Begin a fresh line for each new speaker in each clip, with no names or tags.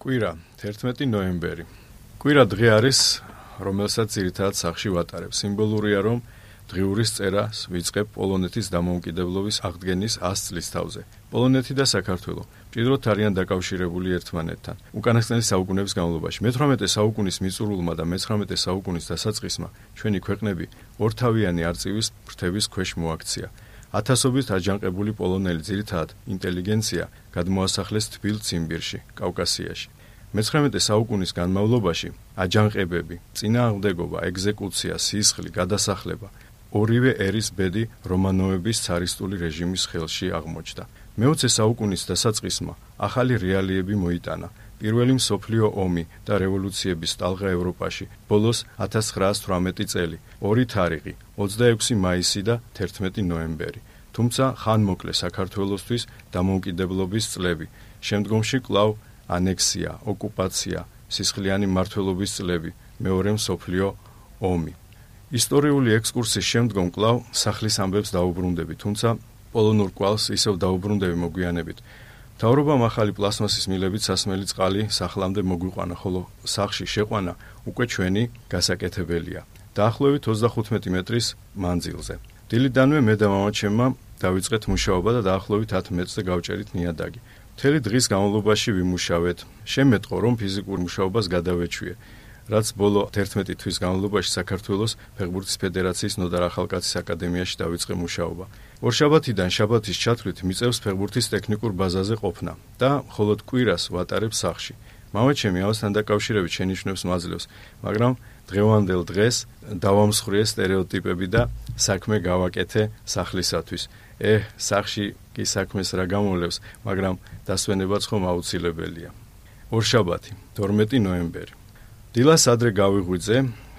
კვირა 11 ნოემბერი. კვირა დღე არის, რომელსაც ძირითადად სახში ვატარებ. სიმბოლურია, რომ დღიურის წერას ვიწყებ პოლონეთის დამოუკიდებლობის აღდგენის 100 წლის თავზე. პოლონეთი და საქართველო მჭიდროდ არიან დაკავშირებული ერთმანეთთან. უკანასკნელი საუკუნეების განმავლობაში, მე-18 საუკუნის მიწურულმა და მე-19 საუკუნის დასაწყისმა ჩვენი ქვეყნები ორთავიანი არწივის ფრთების ქვეშ მოაქცია. ათასობით აჯანყებული პოლონელი ძირითადად ინტელიგენცია გადმოასახლეს თბილ ციმბირში, კავკასიაში. მე-19 საუკუნის განმავლობაში აჯანყებები, წინააღმდეგობა, ეგზეკუცია, სისხლი, გადასახლება ორივე ერის ბედი რომანოვების цаრისტული რეჟიმის ხელში აღმოჩნდა. მე-20 საუკუნის დასაწყისმა ახალი რეალიები მოიტანა. პირველი მსოფლიო ომი და რევოლუციების ტალღა ევროპაში, ბოლოს 1918 წელი, 2 თარიღი, 26 მაისი და 11 ნოემბერი. თუმცა ხანმოკლე საქართველოსთვის დამოუკიდებლობის წლები, შემდგომში კვლავ ანექსია, ოკუპაცია, სისხლიანი მმართველობის წლები, მეორე მსოფლიო ომი. ისტორიული ექსკურსის შემდგომ კვლავ სახლის ამბებს დაუბრუნდები, თუმცა პოლონურ კვალს ისევ დაუბრუნდები მოგვიანებით. მთავრობამ ახალი პლასმასის მილებით სასმელი წყალი სახლამდე მოგვიყვანა, ხოლო სახლში შეყვანა უკვე ჩვენი გასაკეთებელია. დაახლოებით 35 მეტრის მანძილზე. დილიდანვე მე და მამაჩემმა დავიწყეთ მუშაობა და დაახლოებით 10 მეტრზე გავჭერით ნიადაგი. მთელი დღის განმავლობაში ვიმუშავეთ. შემეტყო, რომ ფიზიკურ მუშაობას გადავეჩვიე, რაც ბოლო 11 თვის განმავლობაში საქართველოს ფეხბურთის ფედერაციის ნოდარ ახალკაცის აკადემიაში დავიწყე მუშაობა. ორშაბათიდან შაბათის ჩათვლით მიწევს ფეხბურთის ტექნიკურ ბაზაზე ყოფნა და მხოლოდ კვირას ვატარებ სახლში. მამაჩემი ამასთან დაკავშირებით შენიშვნებს მაძლევს, მაგრამ დღევანდელ დღეს დავამსხვრიე სტერეოტიპები და საქმე გავაკეთე სახლისათვის. სახლში კი საქმეს რა გამოლევს, მაგრამ დასვენებაც ხომ აუცილებელია. ორშაბათი 12 ნოემბერი. დილას ადრე გავიღვიძე,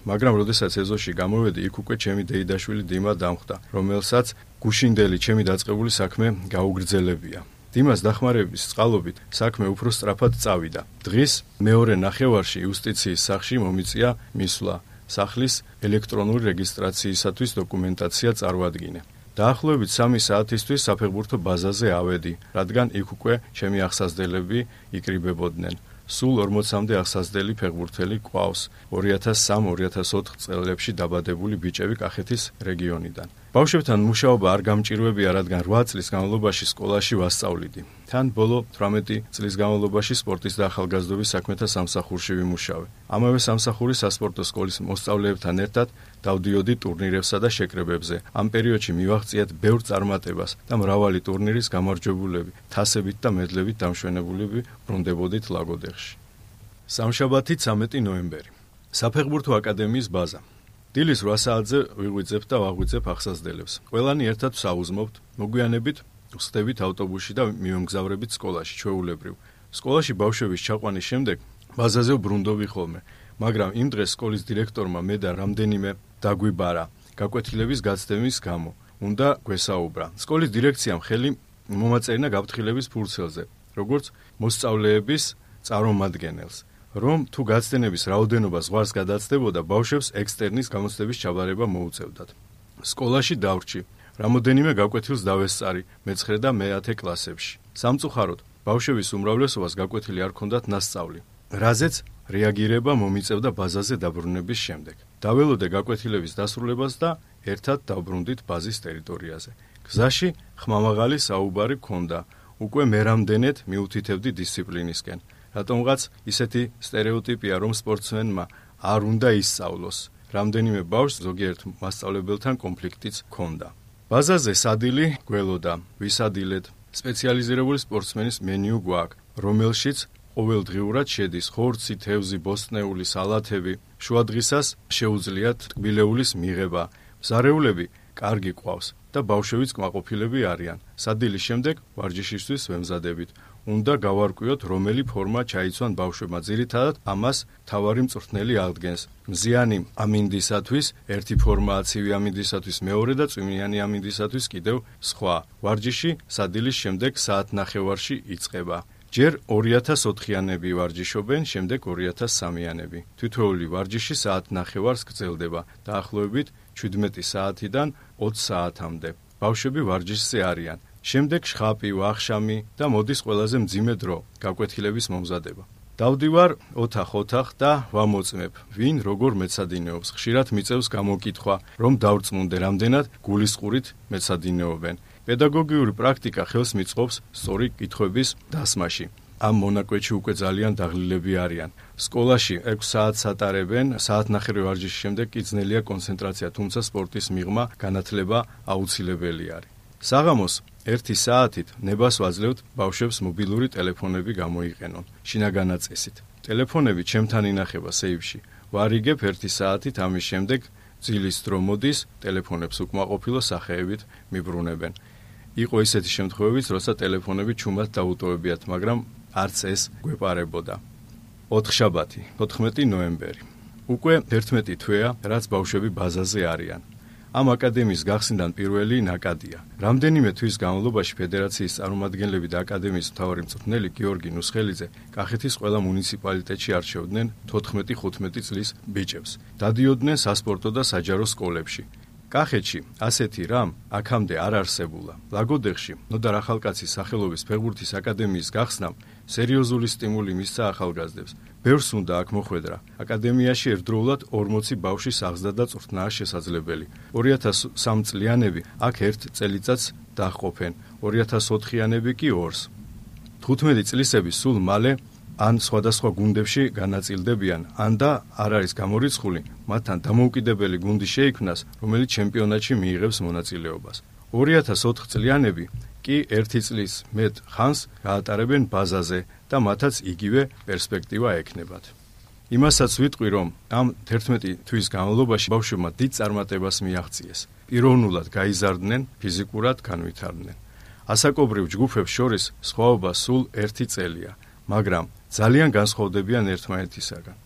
მაგრამ როდესაც ეზოში გამოვედი, იქ უკვე ჩემი დეიდაშვილი დიმა დამხვდა, რომელსაც გუშინდელი ჩემი დაწყებული საქმე გაუგრძელებია. დიმას დახმარების წყალობით საქმე უფრო სწრაფად წავიდა. დღის მეორე ნახევარში იუსტიციის სახლში მომიწია მისვლა, სახლის ელექტრონული რეგისტრაციისათვის დოკუმენტაცია წარვადგინე. დაახლოებით 3 საათისთვის საფეხბურთო ბაზაზე ავედი, რადგან იქ უკვე ჩემი აღსაზრდელები იკრიბებოდნენ. სულ 40-მდე აღსაზრდელი ფეხბურთელი ყავს 2003-2004 წლებში დაბადებული ბიჭები კახეთის რეგიონიდან. ბავშვებთან მუშაობა არ გამჭირვებია, რადგან 8 წლის განმავლობაში სკოლაში ვასწავლიდი. თან ბოლო 18 წლის განმავლობაში სპორტის და ახალგაზრდობის საქმეთა სამსახურში ვიმუშავე. ამავე სამსახურის სასპორტო სკოლის მოსწავლეებთან ერთად დავდიოდი ტურნირებსა და შეკრებებზე. ამ პერიოდში მივაღწიეთ ბევრ წარმატებას და მრავალი ტურნირის გამარჯვებულები, თასებით და მედლებით დამშვენებულები ბრუნდებოდით ლაგოდეხში. სამშაბათი 13 ნოემბერი. საფეხბურთო აკადემიის ბაზა. დილის 8 საათზე ვიღვიძებთ და ვაღვიძებ აღსაზრდელებს. ყველანი ერთად ვსაუზმობთ, მოგვიანებით ვხსდებით ავტობუსში და მივემგზავრებით სკოლაში, ჩვეულებრივ. სკოლაში ბავშვების ჩაყვანის შემდეგ ბაზაზე ვბრუნდობი ხოლმე, მაგრამ იმ დღეს სკოლის დირექტორმა მე და რამდენიმე დაგვიბარა გაკვეთილების გაცდების გამო. უნდა გვესაუბრა. სკოლის დირექციამ ხელი მომაწერინა გაფრთხილების ფურცელზე, როგორც მოსწავლეების წარმომადგენელს, რომ თუ გაცდენების რაოდენობა ზღვარს გადაცდებოდა, ბავშვებს ექსტერნის გამოცდების ჩაბარება მოუწევდათ. სკოლაში დავრჩი. რამოდენიმე გაკვეთილს დავესწარი მე-9 და მე-10 კლასებში. სამწუხაროდ, ბავშვების უმრავლესობას გაკვეთილი არ ჰქონდათ ნასწავლი, რაზეც რეაგირება მომიწევდა ბაზაზე დაბრუნების შემდეგ. დაველოდე გაკვეთილების დასრულებას და ერთად დავბრუნდით ბაზის ტერიტორიაზე. გზაში ხმამაღალი საუბარი ჰქონდა, უკვე მე რამდენად მიუთითებდი დისციპლინისკენ. რატომღაც ისეთი სტერეოტიპია, რომ სპორტსმენმა არ უნდა ისწავლოს. რამდენიმე ბავშვს ზოგიერთ მასწავლებელთან კონფლიქტიც ჰქონდა. ბაზაზე სადილი გველოდა, ვისადილეთ. სპეციალიზირებული სპორტსმენის მენიუ გვაქვს, რომელშიც ყოველდღიურად შედის ხორცი, თევზი, ბოსტნეული, სალათები. შუადღისას შეუძლიათ ტკბილეულის მიღება. მზარეულები კარგი ყავს და ბავშვებიც კმაყოფილები არიან. სადილის შემდეგ ვარჯიშისთვის ვემზადებით. უნდა გავარკვიოთ, რომელი ფორმა ჩაიცვან ბავშვებმა. ძირითადად ამას მთავარი მწვრთნელი აღდგენს. მზიანი ამინდისათვის ერთი ფორმაა, ცივი ამინდისათვის მეორე და წვიმიანი ამინდისათვის კიდევ სხვა. ვარჯიში სადილის შემდეგ საათნახევარში იწყება. ჯერ 2004-იანები ვარჯიშობენ, შემდეგ 2003-იანები. თითოეული ვარჯიში საათნახევარს გრძელდება, დაახლოებით 17 საათიდან 20 საათამდე. ბავშვები ვარჯიშზე არიან. შემდეგ შხაპი, ვახშამი და მოდის ყველაზე მძიმე დრო, გაკვეთილების მომზადება. დავდივარ ოთახ-ოთახ და ვამოწმებ, ვინ როგორ მეცადინეობს. ხშირად მიწევს გამოკითხვა, რომ დავწმუნდე, რამდენად გულისყურით მეცადინეობენ. პედაგოგიური პრაქტიკა ხელს მიწყობს სწორი კითხვების დასმაში. ამ მონაკვეთში უკვე ძალიან დაღლილები არიან. სკოლაში 6 საათს ატარებენ, საათნახევრი ვარჯიშის შემდეგ კი ძნელია კონცენტრაცია, თუმცა სპორტის მიღმა, განათლება აუცილებელი არის. საღამოს 1 საათით ნებას ვაძლევთ ბავშვებს მობილური ტელეფონები გამოიყენონ, შინაგანა წესით. ტელეფონები ჩემთან ინახება სეიფში. ვარიგებ 1 საათით, ამის შემდეგ ძილის დრო მოდის, ტელეფონებს უკმაყოფილო სახეებით მიბრუნებენ. იყო ისეთი შემთხვევებიც, როცა ტელეფონები ჩუმად დაუტოვებიათ, მაგრამ არც ეს გვეპარებოდა. 4 შაბათი, 14 ნოემბერი. უკვე 11 თვეა, რაც ბავშვები ბაზაზე არიან. ამ აკადემიის გახსნიდან პირველი ნაკადია. რამდენიმე თვის განმავლობაში ფედერაციის წარმომადგენლები და აკადემიის მთავარი მწვრთნელი გიორგი ნუსხელიძე კახეთის ყველა მუნიციპალიტეტში არჩევდნენ 14-15 წლის ბიჭებს. დადიოდნენ სასპორტო და საჯარო სკოლებში. კახეთში ასეთი რამ აქამდე არ არსებულა. ლაგოდეხში ნოდარ ახალკაცის სახელობის ფეხბურთის აკადემიის გახსნამ სერიოზული სტიმული მისცა ახალგაზრდებს. ბევრს უნდა აქ მოხვედრა. აკადემიაში ერთდროულად 40 ბავშვის აღზრდა და წვრთნაა შესაძლებელი. 2003 წლიანები აქ 1 წელიწადს დაჰყოფენ, 2004-იანები კი 2-ს. 15 წლისები სულ მალე ან სხვადასხვა გუნდებში განაწილდებიან, ან და არ არის გამორიცხული, მათთან დამოუკიდებელი გუნდი შეიქმნას, რომელიც ჩემპიონატში მიიღებს მონაწილეობას. 2004 წლიანები კი 1 წლის მეტ ხანს გაატარებენ ბაზაზე და მათაც იგივე პერსპექტივა ექნებათ. იმასაც ვიტყვი, რომ ამ 11 თვის განმავლობაში ბავშვებმა დიდ წარმატებას მიაღწიეს. პიროვნულად გაიზარდნენ, ფიზიკურად განვითარდნენ. ასაკობრივ ჯგუფებს შორის სხვაობა სულ 1 წელია, მაგრამ ძალიან განსხვავდებიან ერთმანეთისაგან.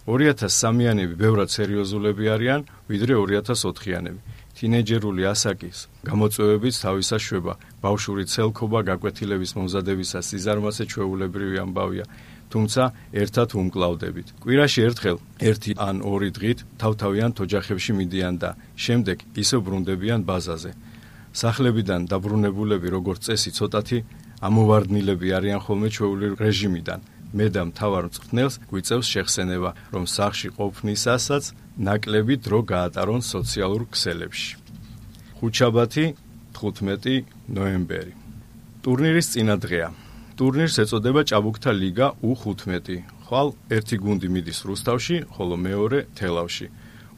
2003-იანები ბევრად სერიოზულები არიან, ვიდრე 2004-იანები. თინეიჯერული ასაკის გამოწვევებით თავისას შვება, ბავშვური ცელქობა გაკვეთილების მომზადებისას სიზარმაცე ჩვეულებრივი ამბავია, თუმცა ერთად უმკლავდებით. კვირაში ერთხელ 1 ან 2 დღით თავთავიან ოჯახებში მიდიან და შემდეგ ისევ ბრუნდებიან ბაზაზე. სახლებიდან დაბრუნებულები როგორც წესი ცოტათი ამოვარდნილები არიან ხოლმე ჩვეულებრივ რეჟიმიდან. მე და მთავარ მწვრთნელს გვიწევს შეხსენება, რომ სახლში ყოფნისასაც ნაკლები დრო გაატარონ სოციალურ ქსელებში. ხუთშაბათი, 15 ნოემბერი. ტურნირის წინა დღეა. ტურნირს ეწოდება ჭაბუკთა ლიგა U15. ხვალ ერთი გუნდი მიდის რუსთავში, ხოლო მეორე თელავში.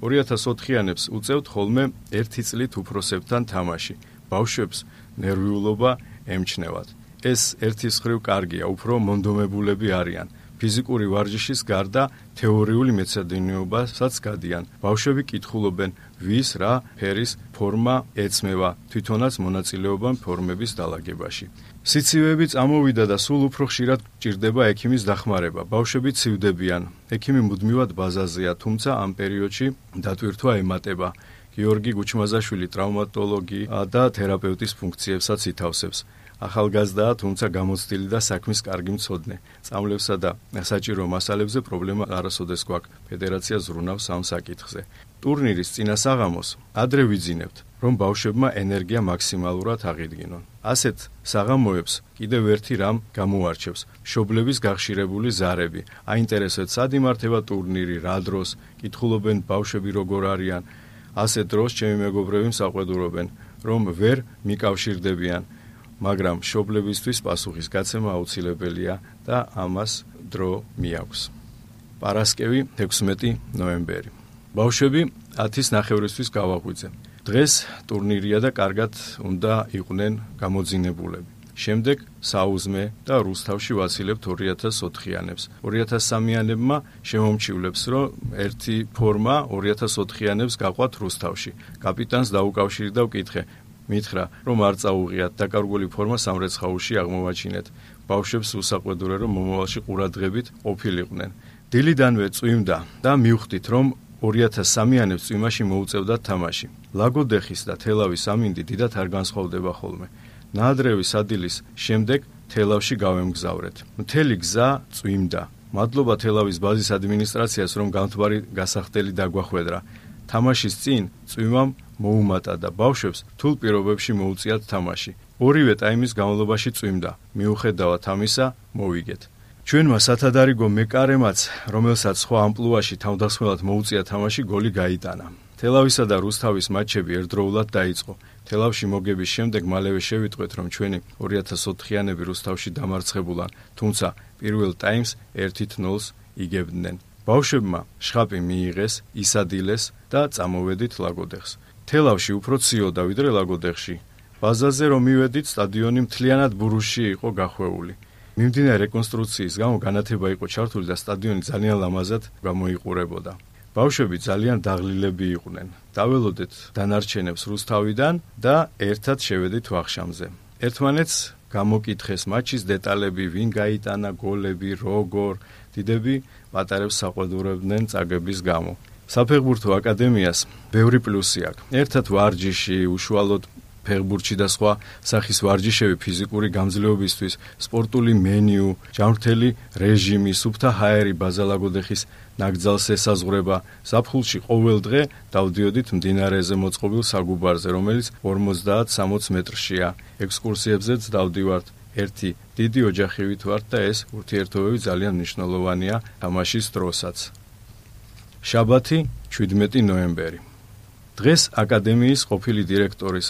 2004-იანებს უწევთ ხოლმე 1 წლით უფროსებთან თამაში. ბავშვებს ნერვიულობა ემჩნევათ. ეს ერთის მხრივ კარგია, უფრო მონდომებულები არიან. ფიზიკური ვარჯიშის გარდა თეორიული მეცადინეობასაც გადიან. ბავშვები კითხულობენ, ვის რა ფერის ფორმა ეცმევა, თვითონაც მონაწილეობენ ფორმების დალაგებაში. სიცივეები წამოვიდა და სულ უფრო ხშირად გჭირდება ექიმის დახმარება. ბავშვები ცივდებიან. ექიმი მუდმივად ბაზაზეა, თუმცა ამ პერიოდში დატვირთვა ემატება. გიორგი გუჩმაზაშვილი ტრავმატოლოგი და თერაპევტის ფუნქციებსაც ითავსებს. ახალგაზრდაა, თუმცა გამოცდილი და საქმის კარგი მცოდნე. წამლებსა და საჭირო მასალებზე პრობლემა არასოდეს გვაქვს. ფედერაცია ზრუნავს ამ საკითხზე. ტურნირის წინა საღამოს ადრე ვიძინებთ, რომ ბავშვებმა ენერგია მაქსიმალურად აღიდგინონ. ასეთ საღამოებს კიდევ ერთი რამ გამოარჩევს: მშობლების გახშირებული ზარები. აინტერესებს, სად იმართება ტურნირი, რა დროს, კითხულობენ ბავშვები როგორ არიან. ასეთ დროს ჩემი მეგობრები მსაყვედურობენ, რომ ვერ მიკავშირდებიან. მაგრამ მშობლებისთვის პასუხის გაცემა აუცილებელია და ამას დრო მიაქვს. პარასკევი, 16 ნოემბერი. ბავშვები 10-ის ნახევრისთვის გავაღვიძე. დღეს ტურნირია და კარგად უნდა იყვნენ გამოძინებულები. შემდეგ საუზმე და რუსთავში ვაცილებთ 2004-იანებს. 2003-იანებმა შემომჩივლებს, რომ ერთი ფორმა 2004-იანებს გაყვათ რუსთავში. კაპიტანს დაუკავშირდი და ვკითხე, მითხრა, რომ არ წაუღიათ, დაკარგული ფორმა სამრეცხაულში აღმოვაჩინეთ. ბავშვებს უსაყვედურე, რომ მომავალში ყურადღებით ყოფილიყვნენ. დილიდანვე წვიმდა და მივხვდით, რომ 2003-იანებს წვიმაში მოუწევდათ თამაში. ლაგოდეხის და თელავის ამინდი დიდად არ განსხვავდება ხოლმე. ნაადრევის ადილის შემდეგ თელავში გავემგზავრეთ. მთელი გზა წვიმდა. მადლობა თელავის ბაზის ადმინისტრაციას, რომ გამთბარი გასახდელი დაგვახვედრა. თამაშის წინ წვიმამ მოუმატა და ბავშვებს რთულ პირობებში მოუწიათ თამაში. ორივე ტაიმის განმავლობაში წვიმდა. მიუხედავად ამისა, მოვიგეთ. ჩვენმა სათადარიგო მეკარემაც, რომელსაც სხვა ამპლუაში თავდასხმელად მოუწია თამაში, გოლი გაიტანა. თელავისა და რუსთავის მატჩები ერთდროულად დაიწყო. თელავში მოგების შემდეგ მალევე შევიტყვეთ, რომ ჩვენი 2004-იანები რუსთავში დამარცხებულან, თუმცა პირველ ტაიმს 1-0 იგებდნენ. ბავშვებმა შხაპი მიიღეს, ისადილეს და წამოვედით ლაგოდეხს. თელავში უფრო ციოდა ვიდრე ლაგოდეხში. ბაზაზე რომ მივედით, სტადიონი მთლიანად ბურუსში იყო გახვეული. მიმდინარე რეკონსტრუქციის გამო განათება იყო ჩართული და სტადიონი ძალიან ლამაზად გამოიყურებოდა. ბავშვები ძალიან დაღლილები იყვნენ. დაველოდეთ დანარჩენებს რუსთავიდან და ერთად შევედით ვახშამზე. ერთმანეთს გამოკითხეს მატჩის დეტალები, ვინ გაიტანა გოლები, როგორ. დიდები პატარებს საყვედურებდნენ წაგების გამო. საფეხბურთო აკადემიას ბევრი პლუსი აქვს. ერთად ვარჯიში, უშუალოდ ფეხბურთში და სხვა სახის ვარჯიშები ფიზიკური გამძლეობისთვის, სპორტული მენიუ, ჯანმრთელი რეჟიმი, სუფთა ჰაერი ბაზა ლაგოდეხის ნაკრძალს ესაზღვრება. ზაფხულში ყოველ დღე დავდიოდით მდინარეზე მოწყობილ საგუბარზე, რომელიც 50-60 მეტრშია. ექსკურსიებზეც დავდივართ. ერთი დიდი ოჯახივით ვართ და ეს ურთიერთობები ძალიან მნიშვნელოვანია თამაშის დროსაც. შაბათი, 17 ნოემბერი. დღეს აკადემიის ყოფილი დირექტორის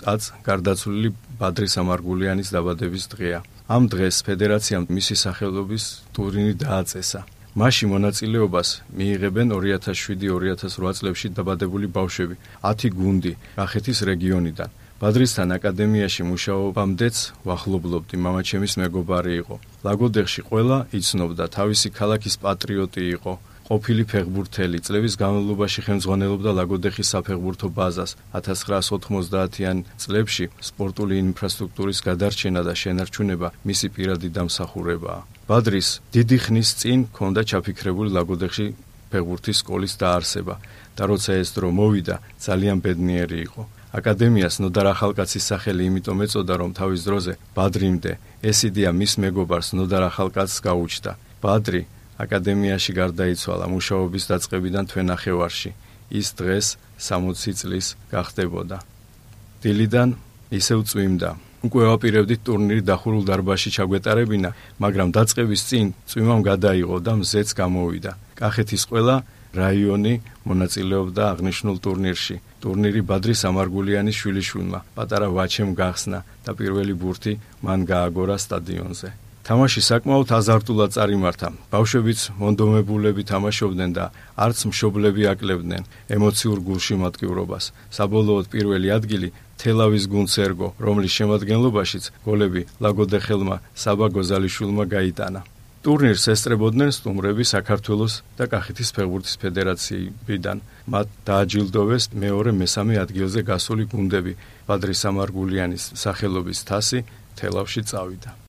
გარდაცვლილი ბადრი სამარგულიანის დაბადების დღეა. ამ დღეს ფედერაციამ მისი სახელობის ტურნირი დააწესა. მასში მონაწილეობას მიიღებენ 2007-2008 წლებში დაბადებული ბავშვები, 10 გუნდი კახეთის რეგიონიდან. ბადრისთან აკადემიაში მუშაობამდეც ვახლობლობდი, მამაჩემის მეგობარი იყო. ლაგოდეხში ყველა იცნობდა, თავისი ქალაქის პატრიოტი იყო. ყოფილი ფეხბურთელი, წლების განმავლობაში ხელმძღვანელობდა ლაგოდეხის საფეხბურთო ბაზას. 1990-იან წლებში სპორტული ინფრასტრუქტურის გადარჩენა და შენარჩუნება მისი პირადი დამსახურებაა. ბადრის დიდი ხნის წინ ჰქონდა ჩაფიქრებული ლაგოდეხში ფეხბურთის სკოლის დაარსება და როცა ეს დრო მოვიდა, ძალიან ბედნიერი იყო. აკადემიას ნოდარ ახალკაცის სახელი იმიტომ ეწოდა, რომ თავის დროზე ბადრიმდე ეს იდეა მის მეგობარს ნოდარ ახალკაცს გაუჩნდა. ბადრი აკადემიაში გარდაიცვალა მუშაობის დაწყებიდან თვენახევარში. ის დღეს 60 წლის გახდებოდა. დილიდან ისევ წვიმდა. უკვე ვაპირებდით ტურნირი დახურულ დარბაზში ჩაგვეტარებინა, მაგრამ დაწყების წინ წვიმამ გადაიღო და მზეც გამოვიდა. კახეთის ყველა რაიონი მონაწილეობდა აღნიშნულ ტურნირში. ტურნირი ბადრი სამარგულიანის შვილიშვილმა, პატარა ვაჩემ გახსნა და პირველი ბურთი მან გააგორა სტადიონზე. თამაში საკმაოდ აზარტულად წარიმართა. ბავშვებიც მონდომებულები თამაშობდნენ და არც მშობლები აკლებდნენ ემოციურ გულშემატკივრობას. საბოლოოდ პირველი ადგილი თელავის გუნდს ერგო, რომლის შემადგენლობაშიც გოლები ლაგოდეხელმა საბა გოზალიშვილმა გაიტანა. ტურნირს ესწრებოდნენ სტუმრები საქართველოს და კახეთის ფეხბურთის ფედერაციიდან. მათ დააჯილდოვეს მეორე-მესამე ადგილზე გასული გუნდები. ბადრი სამარგულიანის სახელობის თასი თელავში წავიდა.